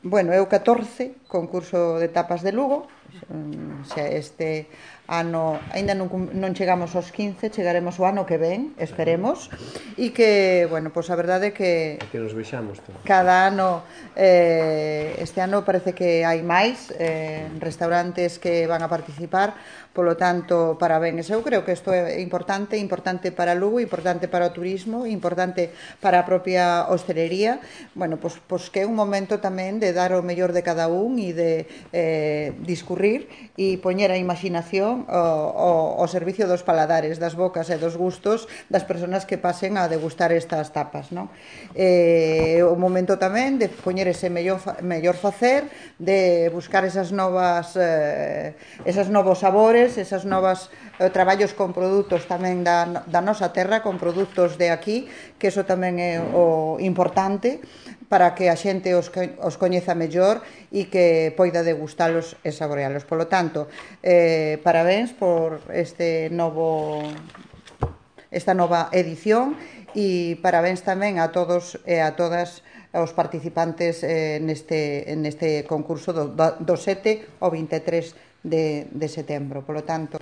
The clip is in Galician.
Bueno, é o 14 concurso de tapas de Lugo. Este ano aínda non chegamos aos 15, chegaremos o ano que ven, esperemos. E que, bueno, pois a verdade é que nos vexamos todos. Cada ano, este ano parece que hai máis restaurantes que van a participar, polo tanto, parabéns. Eu creo que isto é importante para Lugo, importante para o turismo, importante para a propia hostelería. Bueno, pois que é un momento tamén de dar o mellor de cada un e de discurrir e poñer a imaginación ao servicio dos paladares, das bocas e dos gustos das persoas que pasen a degustar estas tapas, non? O momento tamén de poñer ese mellor facer, de buscar esas novos sabores, esas novas traballos con produtos tamén da nosa terra, con produtos de aquí, que eso tamén é o importante para que a xente os coñeza mellor e que poida degustalos e saborealos. Polo tanto, parabéns por esta nova edición e parabéns tamén a todos e a todas os participantes neste concurso do 7 ao 23 de setembro. Polo tanto,